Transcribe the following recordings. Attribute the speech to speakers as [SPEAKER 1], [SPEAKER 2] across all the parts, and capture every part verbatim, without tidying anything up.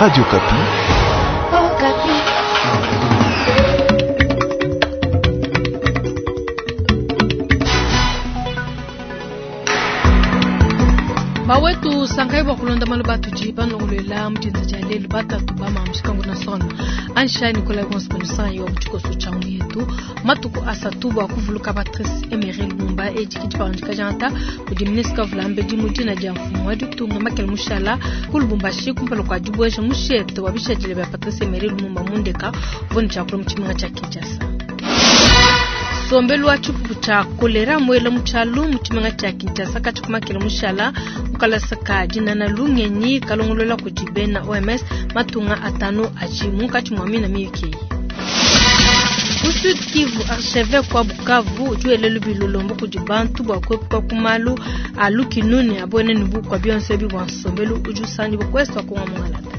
[SPEAKER 1] Radio Okapi.
[SPEAKER 2] Bawetu sankai bua kulonda malu batudi banongolola mu dienza dia lelu batatu ba mamushikangu na sona ansha Nicolas Gonsponsang wa mutshikoso tshia yetu matuku asatu bua kuvuluka Patrice Emery Lumumba edi kidi janta kudi ministre vulambedi mu dina dia mfumu wa ditunga Makele Mushala ku Lubumbashi kumpala kua dibueja mushete wa bishadile bia Patrice Emery Lumumba mundeka uvua tshiakula mu tshimenga tshia Kinshasa. Sombelu wa tshipupu tshia kolera muela mu tshialu mu tshimenga tshia Kinshasa katshikumakela mushala mukalasa ka dinana lungenyi kalongolola kudi bena O M S matunga atanu aji munkatshi mua mina miyuki. Ku Sud Kivu archevêque wa Bukavu udi wela lubilu lombo kudi bantu bua kuepuka ku malu a lukinuni abone ne bukua bionso ebi bua nsombelu udi usangibua kuesu wa Kongo Mungalata.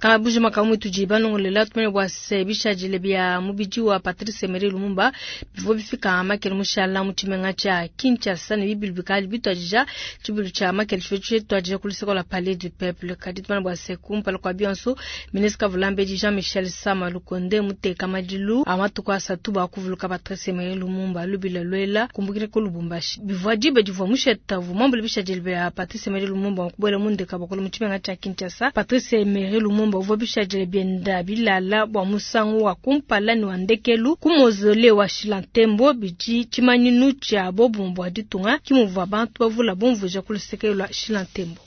[SPEAKER 2] Kabuji makamu tudi banongolela tumene bua se bishadile bia mubidi wa Patrice Emery Lumumba bivua bifika makele mushala mu tshimenga tshia Kinshasa ne bibilu bikali bituadija tshibilu tshia makele tshivua tshituadija ku luseke lua Palais du Peuple. Kadi tumene bua se kumpala kua bionso ministre Vulambedi Jean-Michel Sama Lukonde muteka madilu a matuku asatu bua kuvuluka Patrice Emery Lumumba lubila lwela kumbukile ku Lubumbashi. Bivua diba divua musheta uvua muambule bishadile bia Patrice Emery Lumumba kubuela mundeka bua mu tshimenga tshia Kinshasa. Patrice Emery Lumumba uvua bishadile bienda bilala bua musangu wa kumpala ne wa ndekelu ku mausolée wa Shilantembo bidi tshimanyinu tshia bobumbu bua ditunga kimuvua bantu bavula bumvuija ku luseke lua Shilantembo.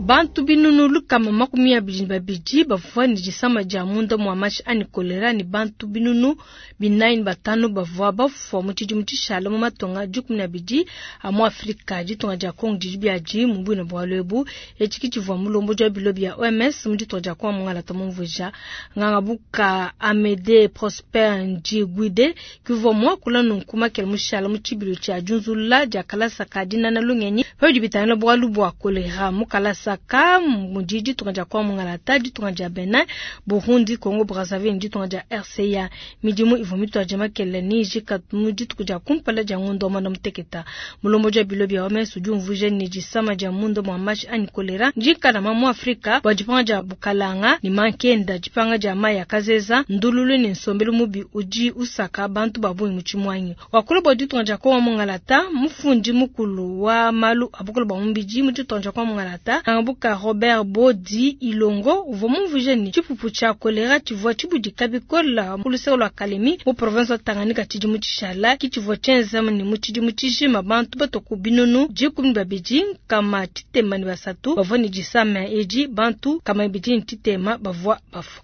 [SPEAKER 2] Bantu binunu lukama makumi abidi ne babidi bavua ne disama dia munda mua mashi anyi kolera ne bantu binunu binayi ne batanu bavua bafua mu tshidimu tshishala mu matunga dikumi ne abidi a mu Afrika. Ditunga dia Congo didi biadi mu buina bualu ebu. Etshi ki tshivua mulombodi wa bilo bia O M S mu ditunga dia Congo Mungalata mumvuija. Ngangabuka Amede Prosper Ndjiguide kivua muakula nunku makele mushala mu tshibilu tshia diunzulula dia kalasa ka dinana lungenyi pabidi bitangila bualu bua kolera mu kalasa ka mudi ditunga dia Kongo Mungalata, ditunga dia Benin, Burundi, Congo Brazzaville, ditunga dia R C A. Midimu ivua mituadija makele ni ijika mu dituku dia kumpala dia ngondo wa mwanda muteketa. Mulombodi wa bilo bia O M S udi umvuija ne disama dia munda mua mashi anyi kolera ndikalama mu Afrika bua dipanga dia bukalanga ne mankenda, dipanga dia mayi ya kazeza, ndululu ne nsombelu mubi udi usaka bantu ba bungi mu tshimuanyi. Wakula bua ditunga dia Kongo Mungalata, mufundi mukulu wa malu a bukulu bua mubidi mu ditunga dia Kongo Mungalata, Buka Robert Bodi Ilongo uvua mumvuije ne tshipupu tshia kolera tshivua tshibudika bikole ku luseke lua Kalemi mu province wa Tanganyika tshidimu tshishala ki tshivua tshienza ne mu tshidimu tshijima bantu batua ku binunu dikumi ne babidi nkama tshitema ne basatu bavua ne disama edi, bantu kama ibidi ne tshitema bavua bafua.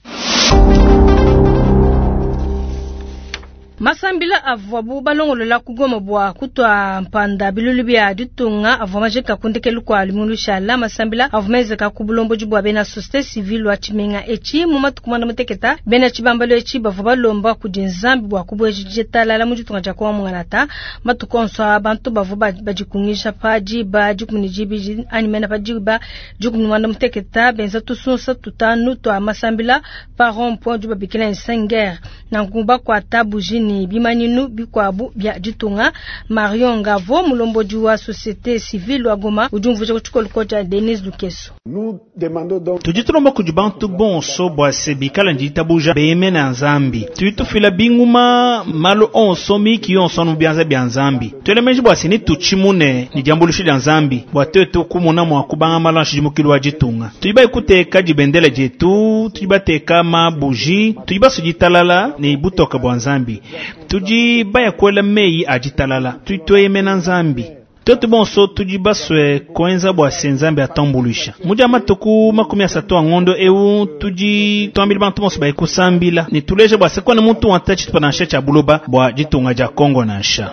[SPEAKER 2] Masambila avuabu balongolola ku Goma bua kutua mpanda bilulu bia ditunga avua majika ku ndekelu kua lumingu lushala. Masambila avua menzeka ku bulombodi bua bena société civile wa tshimenga etshi mu matuku muanda muteketa. Bena tshibambalo etshi bavua balomba kudi Nzambi bua kubueja ditalala mu ditunga dia Kongo Mungalata. Matuku onso a bantu bavua badikungisha pa diba dikumi ne dibidi anyi mena pa diba dikumi ne muanda muteketa benza tusunsa tutanu tua masambila pa rond point du babikila Nsenger. Nanku bakuata buji ni bimanyinu bikuabu bia ditunga. Marion Ngavo mulombodi wa société civile wa Goma udi umvuija ku tshikolo tshia Denise Lukeso.
[SPEAKER 3] Tudi tulomba kudi bantu bonso bua se bikala nditabuja beyemena Nzambi. Tudi tufila binguma malu onso miki yonso anu bianza bia Nzambi. Tuele meji bua se ni tutshimune ni diambuluisha dia Nzambi bua tuetu kumona mua kubanga malu a nshidimukilu wa ditunga. Tudi baikuteka dibendela dietu, tudi bateka mabuji, tudi basuditalala ne butoka bua Nzambi. Tudi baya kuela meyi a ditalala, tudi tueyemena Nzambi. Tuetu bonso tudi basue kuenza bua se Nzambi atambuluisha. Mu dia matuku makumi asatu a ngondo eu tudi tuambila bantu bonso baye kusambila ne tuleje bua se kona muntu wa ntachi tupa nansha tshia buloba bua ditunga dia Kongo nansha.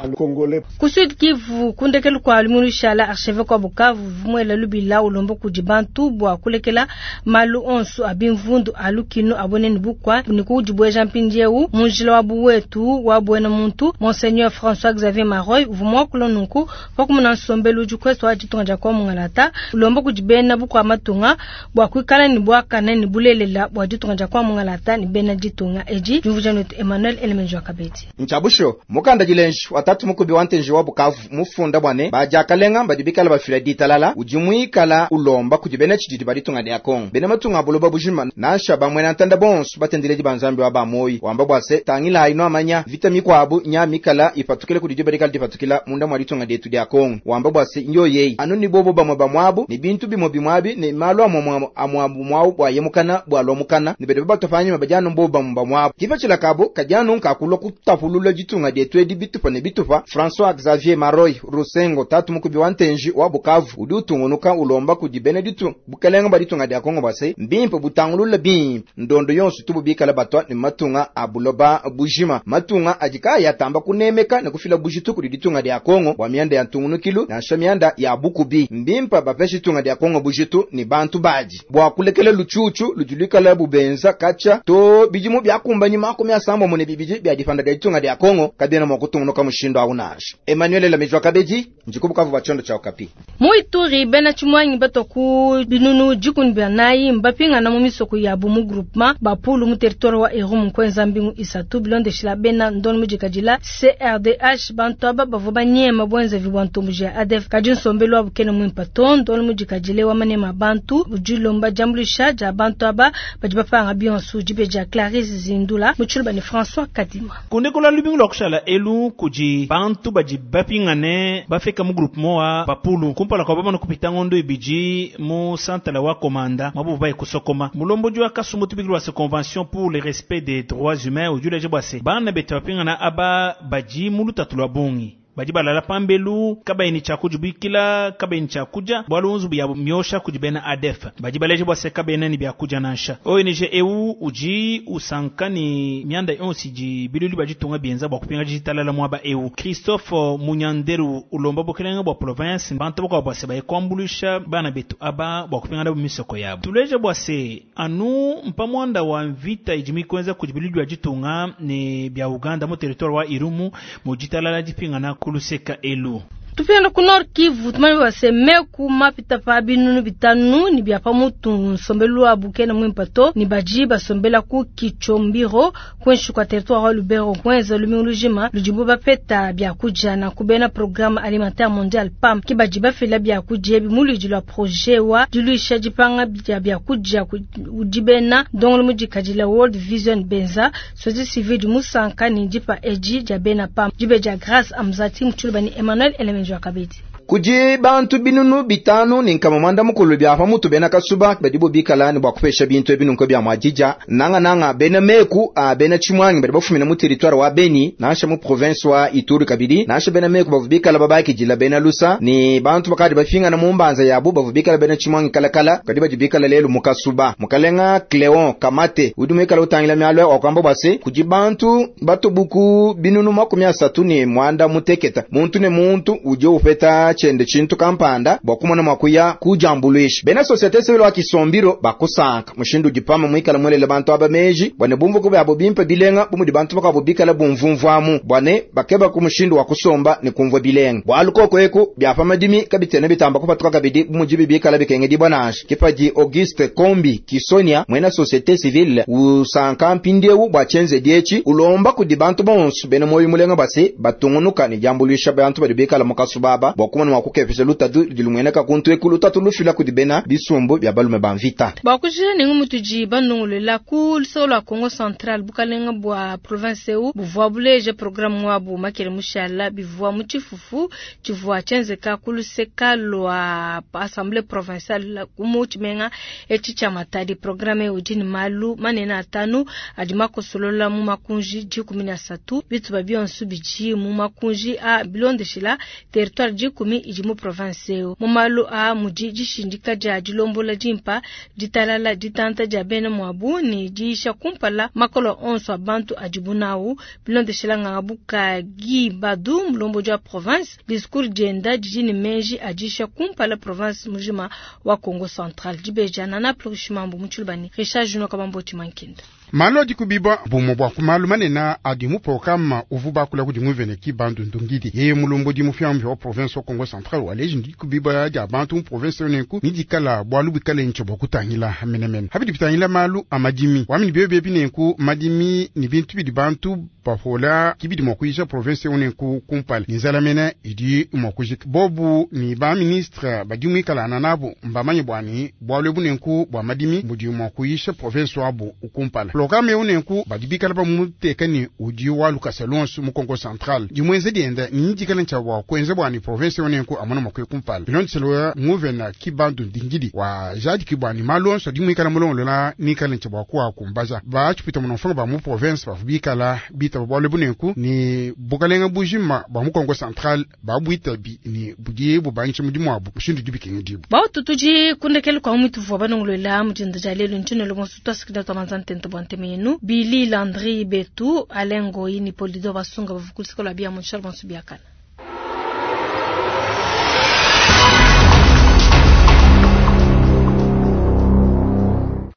[SPEAKER 2] Ku Sud Kivu kundekelu kua lumingu lushala archevêque wa Bukavu muela lubila ulomba kudi bantu bua kulekela malu onso a bimvundu a lukinu abone ne bukua ne kudibueja mpindieu mu njila wa buwetu wa buena muntu. Monseigneur François Xavier Maroy uvua muakula nunku pa kumona nsombelu udi kwesu wa ditunga dia Kongo mungalata, ulomba kudi bena bukua matunga bua kuikala ne buakane ne bulelela bua ditunga dia Kongo mungalata ne bena ditunga edi. Diumvuija netu Emmanuel Elemenjo Kabedi.
[SPEAKER 1] Nchabusho mukanda dilenji watatu mukubi wa ntenji wa Bukavu mufunda bwane bajakalenga badi bikala bafila ditalala udi muikala ulomba kudi bena tshididi ba ditunga dia Kongo bena matunga buloba bujima nansha bamwe na ntanda bonso batendeledi ba Nzambi wa bamoyi wamba bwase tangila ino amanya vita mikwabu nya mikala ipatukile kudi diba dipatukila munda mwa ditunga dietu dia Kongo wamba bwase nyo yeyi anu ni bobo bamwe bamwabu ni bintu bimwe bimwabi ni malu amwe amwabu mwabu bwa yemukana bwa lomukana ni bede batofanya mabajano mbobo bamwe bamwabu kifa kabo kajano nkakulwa kutapulula ditunga dietu edi bitupa ne bitupa. François Xavier Maroy Rusengo tatu mukubi wa ntenji wa Bukavu udi utungunuka ulomba kudi bena ditu bukelenga ba ditunga dia Kongo base mbimpe butangulula bimpe ndondo yonso tububikala batwa ne matunga abuloba bujima matunga ajika yatamba kunemeka ne kufila bujitu kudi ditunga dia Kongo bwa mianda ya ntungunukilu nansha mianda ya bukubi mbimpa bapesha ditunga dia Kongo bujitu ni bantu baji bwa kulekela luchuchu lujulikala bubenza kacha to bijimu byakumbanyi makumi asambo mune bibiji bya difanda dia ditunga dia Kongo kabena mwa kutungunuka mushindo aunasha. Emmanuel Lamejwa Kabeji njikubukavu bachondo cha Okapi.
[SPEAKER 2] Muituri bena chimwanyi batoku binunu jikuni banayi mbapinga na mu misoko ya bumu groupement bapulu mu territoire wa Irumu kwenza mbingu isatu bilondeshila bena ndon mujikajila C R D H bantu aba bavua banyema bwenza vibwantumbu ya A D F kadi nsombelu wa bukene mwimpa to ndon mujikajile wa manema bantu ujilomba jambulisha ja bantu aba badi bapanga bionso jibeja Clarisse Zindula muchuluba ni François Kadima.
[SPEAKER 3] Kundikola lubingu lwa kushala elu kuji bantu badi bapingane bafika mu groupement wa bapulu kumpala kwa bamana kupita ngondo ibiji mu santala wa komanda mabu baye kusokoma mulombo jwa kasumbu tubikilwa se convention pour le respect des droits humains ujule jebwase bana betu bapingana aba baji muluta tulwa bongi baji balala pambelu kabaini cha kujubikila kabaini cha kuja bwalunzu bya myosha kujibena A D F baji baleje bwase kabaina ni bya kuja nansha O N G E U uji usankani mianda yonsi ji bilulu baji tunga bienza bwa kupinga jitalala mwaba E U Christophe Munyanderu ulomba bokelenga bwa province bantu bwa bwase baye kwambulisha bana betu aba bwa kupinga na misoko yabo tuleje bwase anu mpamwanda wa mvita ijimi kwenza kujibilulu baji tunga ni bya Uganda mu territoire wa Irumu mu jitalala jipinga na kuluseka elu.
[SPEAKER 2] Tupenda ku Nord Kivu tumani baseme ku mapita pa binunu bitanu ni bya pa mutu nsombelu wa bukena mwimpato ni baji basombela ku Kichombiro kwenshi kwa territoire wa Lubero kwenza lumingulujima lujibu bapeta bya kuja na kubena programme alimentaire mondial P A M kibaji bafela bya kuja bimulu la projet wa diluisha jipanga bya bya kuja ujibena dongolo mujikajila World Vision Benza sozi civil du musanka ni jipa eji jabena P A M jibeja Grâce Amzati mchulubani Emmanuel Elemenjo Kabedi.
[SPEAKER 1] Kuji bantu binunu bitanu ni nkama mwanda mukulu bya pa mutu bena kasuba badibo bikala ni bwa kupesha bintu ebinu nko bya mwajija nanga nanga bena meku a bena chimwangi badi bafumina mu territoire wa Beni nansha mu province wa Ituri kabidi nansha bena meku bavubikala babaki jila bena lusa ni bantu bakadi bafinga na mumbanza yabo bavubikala bena chimwangi kala kala kadi bajibikala lelu mukasuba mukalenga Cleon Kamate udumikala utangila myalwe wakamba bwase kuji bantu batubuku binunu makumi asatu ni mwanda muteketa muntu ne muntu uje upeta chende chintu kampanda bwakumona mwakuya kujambulwisha bena societe civile wa Kisombiro bakusanka mushindu jipama mwikala mwelele bantu abameji bwane bumvuko byabo bimpe bilenga bumudi bantu bakabo bikala bumvumvwamu bwane bakeba ku mushindu wa kusomba ni kumvwa bilenga bwalukoko eku byapa madimi kabitene bitamba kupatuka kabidi bumujibi bikala bikenge dibwanasha kipaji Auguste Kombi Kisonia mwena societe civile usanka mpindiewu bwachenze diechi ulomba kudi bantu bonso bene moyo mulenga basi batungunuka ni jambulwisha bantu badi bikala mukasubaba bwakumona wakukepesha lutatu dilumweneka kuntu ekulu tatu lufila kudibena bisumbu bya balume banvita
[SPEAKER 2] bakujira ningu mutuji banungulela ku lusolo la Congo Central bukalenga bwa province eu buvwa buleje programme wabu makele mushala bivwa muchifufu chivwa chenzeka kuluseka lwa assemblée provinciale kumu chimenga echi cha Matadi programme ujini malu manena atanu adima kosolola mu makunji jikumi na satu bituba bionsu biji mu makunji a bilondeshila territoire jikumi idi mu province eo mu malu a mudi dishindika dia dilombola dimpa ditalala ditanta dia bena mwabu ni diisha kumpala makolo onso a bantu adibu nawu bilondeshela nganga buka Guy Badu mulombo dia province discours dienda didi ne meji adisha kumpala province mujima wa Congo Central dibeja nana plurishimambu mutshilubani Richard Juno Kabamboti Mankinda.
[SPEAKER 4] Malu adi kubibwa bumwe bwa ku malu manene adi mu programa uvu bakula kudi nguvene Kibandundu Ndungidi yeye mulombodi mupyamupya wa province wa Kongo Central waleji ndi kubibwa dia bantu mu province nenku ni dikala bwalu bikale ntsho bwa kutangila menemene habidi bitangila malu a madimi wamini byo byebi nenku madimi ni bintu bidi bantu bafola kibidi mwa kuisha province nenku kumpala ni nzala mene idi mwa kujika bobu ni ba ministre badi muikalana nabo mbamanye bwani bwalu ebu nenku bwa madimi budi mwa kuisha province wabu kumpala programme eu nenku badi bikala bamuteka ni udi wa lukasa lonso mu Kongo Central dimwenze dienda ni dikala ntsha bwa kuenza bwani province eu nenku amona mwa kuya kumpala bilondeselo nguvena Kibandu Ndingidi wa jadi bwani malu onso adi muikala mulongolola nikala ntsha bwa kuwa kumbaza batshipita munomfanga ba mu province bavu bikala bitaba bwalu ebu nenku ni bukalenga bujima bwa mu Kongo Central babwitabi ni budi bubangisha mudimu wabu mushindu dibikenga dibu
[SPEAKER 2] bautu tudi kundekele kwa mwitu vua banongolola mudinda dia lelu ntshino lonso twasikida twamanza ntente bwa nteme yenu Billy Landry Betu Alain Ngoyi ni Polido Basunga bavukulisikola bia mu Charles Bonsu biakana.